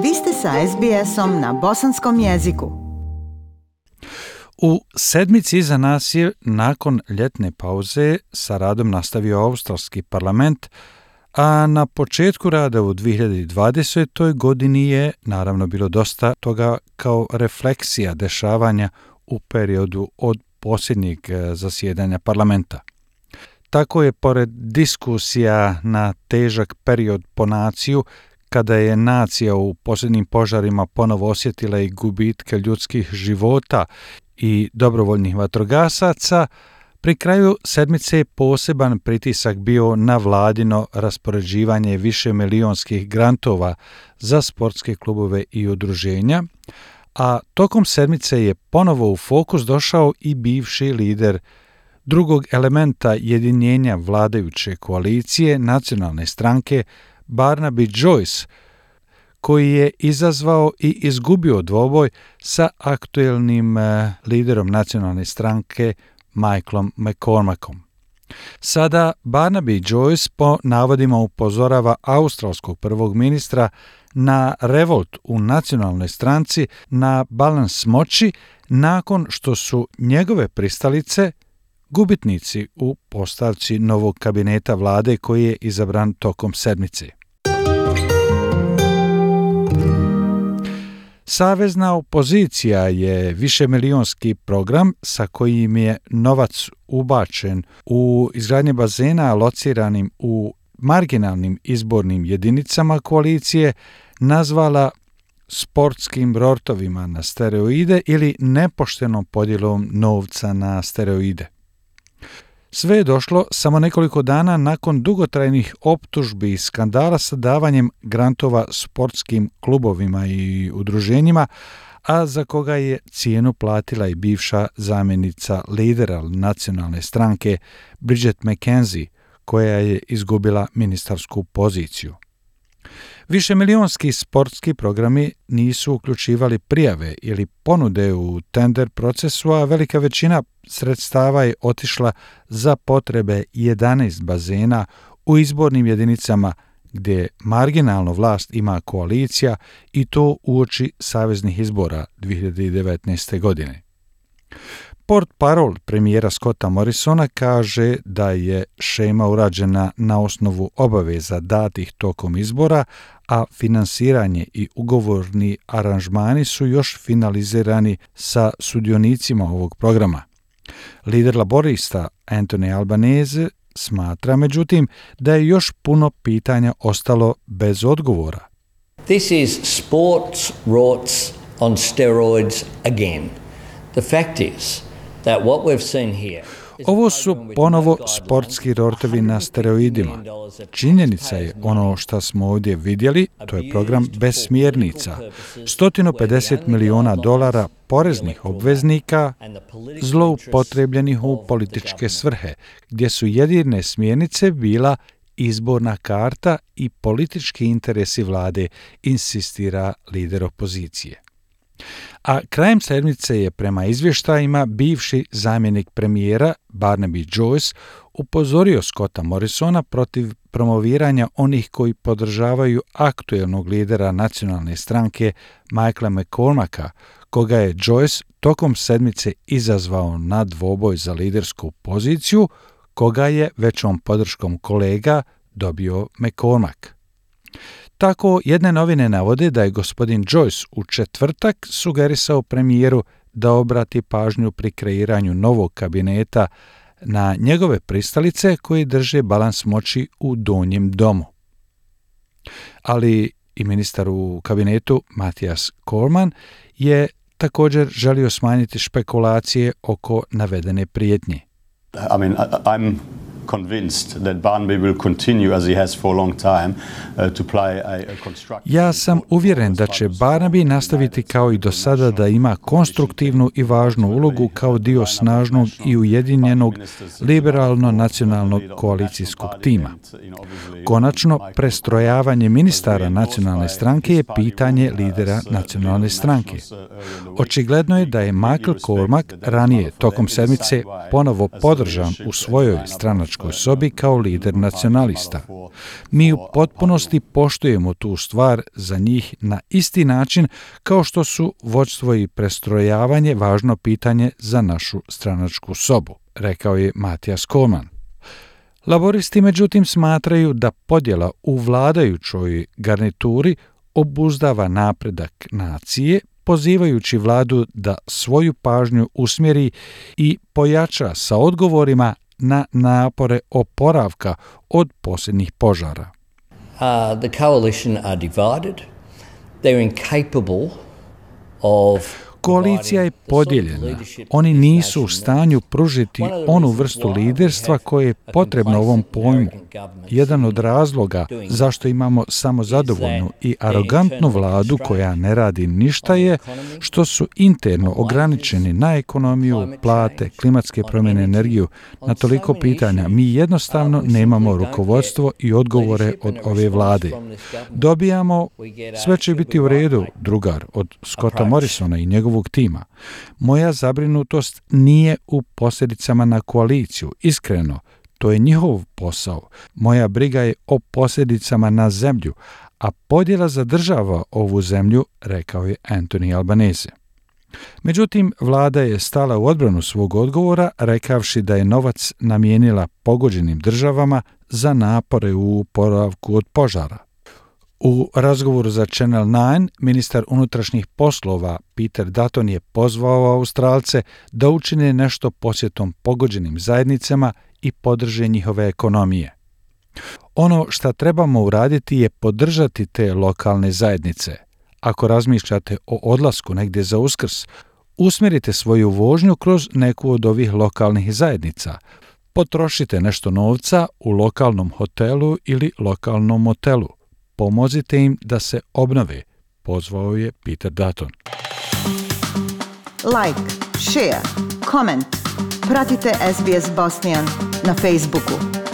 Vi ste sa SBS-om na bosanskom jeziku. U sedmici iza nas je nakon ljetne pauze sa radom nastavio australski parlament, a na početku rada u 2020. godini je naravno bilo dosta toga kao refleksija dešavanja u periodu od posljednjeg zasjedanja parlamenta. Tako je pored diskusija na težak period po naciju, kada je nacija u posljednjim požarima ponovo osjetila i gubitke ljudskih života i dobrovoljnih vatrogasaca, pri kraju sedmice je poseban pritisak bio na vladino raspoređivanje višemilijonskih grantova za sportske klubove i udruženja, a tokom sedmice je ponovo u fokus došao i bivši lider drugog elementa jedinjenja vladajuće koalicije nacionalne stranke Barnaby Joyce, koji je izazvao i izgubio dvoboj sa aktuelnim liderom nacionalne stranke Michaelom McCormackom. Sada Barnaby Joyce po navodima upozorava australskog prvog ministra na revolt u nacionalnoj stranci na balans moći nakon što su njegove pristalice gubitnici u postavci novog kabineta vlade koji je izabran tokom sedmice. Savezna opozicija je višemilijonski program sa kojim je novac ubačen u izgradnje bazena lociranim u marginalnim izbornim jedinicama koalicije nazvala sportskim rortovima na steroide ili nepoštenom podjelom novca na steroide. Sve je došlo samo nekoliko dana nakon dugotrajnih optužbi i skandala sa davanjem grantova sportskim klubovima i udruženjima, a za koga je cijenu platila i bivša zamjenica lidera nacionalne stranke Bridget McKenzie, koja je izgubila ministarsku poziciju. Višemilijonski sportski programi nisu uključivali prijave ili ponude u tender procesu, a velika većina sredstava je otišla za potrebe 11 bazena u izbornim jedinicama gdje marginalno vlast ima koalicija i to uoči saveznih izbora 2019. godine. Portparol premijera Scotta Morrisona kaže da je šema urađena na osnovu obaveza datih tokom izbora, a finansiranje i ugovorni aranžmani su još finalizirani sa sudionicima ovog programa. Lider laborista Anthony Albanese smatra, međutim, da je još puno pitanja ostalo bez odgovora. This is sports rorts on steroids again. The fact is that what we've seen here. Ovo su ponovo sportski rortovi na steroidima. Činjenica je ono što smo ovdje vidjeli, to je program bez smjernica. $150 milijuna poreznih obveznika zloupotrebljenih u političke svrhe, gdje su jedine smjernice bila izborna karta i politički interesi vlade, insistira lider opozicije. A krajem sedmice je prema izvještajima bivši zamjenik premijera Barnaby Joyce upozorio Scotta Morrisona protiv promoviranja onih koji podržavaju aktuelnog lidera nacionalne stranke Michaela McCormacka, koga je Joyce tokom sedmice izazvao na dvoboj za lidersku poziciju, koga je većom podrškom kolega dobio McCormack. Tako jedne novine navode da je gospodin Joyce u četvrtak sugerisao premijeru da obrati pažnju pri kreiranju novog kabineta na njegove pristalice koji drže balans moći u donjem domu. Ali i ministar u kabinetu Matthias Cormann je također želio smanjiti špekulacije oko navedene prijetnje. I'm convinced that Barnaby will continue as he has for a long time to play a constructive. Ja sam uvjeren da će Barnaby nastaviti kao i do sada da ima konstruktivnu i važnu ulogu kao dio snažnog i ujedinjenog liberalno-nacionalnog koalicijskog tima. Konačno, prestrojavanje ministara nacionalne stranke je pitanje lidera nacionalne stranke. Očigledno je da je Michael Cormack ranije tokom sedmice ponovo podržan u svojoj stranačkoj stranačkoj sobi kao lider nacionalista. Mi u potpunosti poštujemo tu stvar za njih na isti način kao što su vođstvo i prestrojavanje važno pitanje za našu stranačku sobu, rekao je Mattias Kohlmann. Laboristi međutim smatraju da podjela u vladajućoj garnituri obuzdava napredak nacije, pozivajući vladu da svoju pažnju usmjeri i pojača sa odgovorima na napore oporavka od posljednjih požara. The coalition are divided. They're incapable of... Koalicija je podijeljena. Oni nisu u stanju pružiti onu vrstu liderstva koje je potrebno ovom pojmu. Jedan od razloga zašto imamo samozadovoljnu i arogantnu vladu koja ne radi ništa je što su interno ograničeni na ekonomiju, plate, klimatske promjene, energiju, na toliko pitanja. Mi jednostavno nemamo rukovodstvo i odgovore od ove vlade. Dobijamo, sve će biti u redu, drugar, od Scotta Morrisona i njegovog tima. Moja zabrinutost nije u posljedicama na koaliciju. Iskreno, to je njihov posao. Moja briga je o posljedicama na zemlju, a podjela zadržava ovu zemlju, rekao je Anthony Albanese. Međutim, vlada je stala u odbranu svog odgovora, rekavši da je novac namijenila pogođenim državama za napore u oporavku od požara. U razgovoru za Channel 9, ministar unutrašnjih poslova Peter Dutton je pozvao Australce da učine nešto posjetom pogođenim zajednicama i podrže njihove ekonomije. Ono što trebamo uraditi je podržati te lokalne zajednice. Ako razmišljate o odlasku negdje za Uskrs, usmjerite svoju vožnju kroz neku od ovih lokalnih zajednica. Potrošite nešto novca u lokalnom hotelu ili lokalnom motelu. Pomozite im da se obnove, pozvao je Peter Dutton. Like, share, comment. Pratite SBS Bosnian na Facebooku.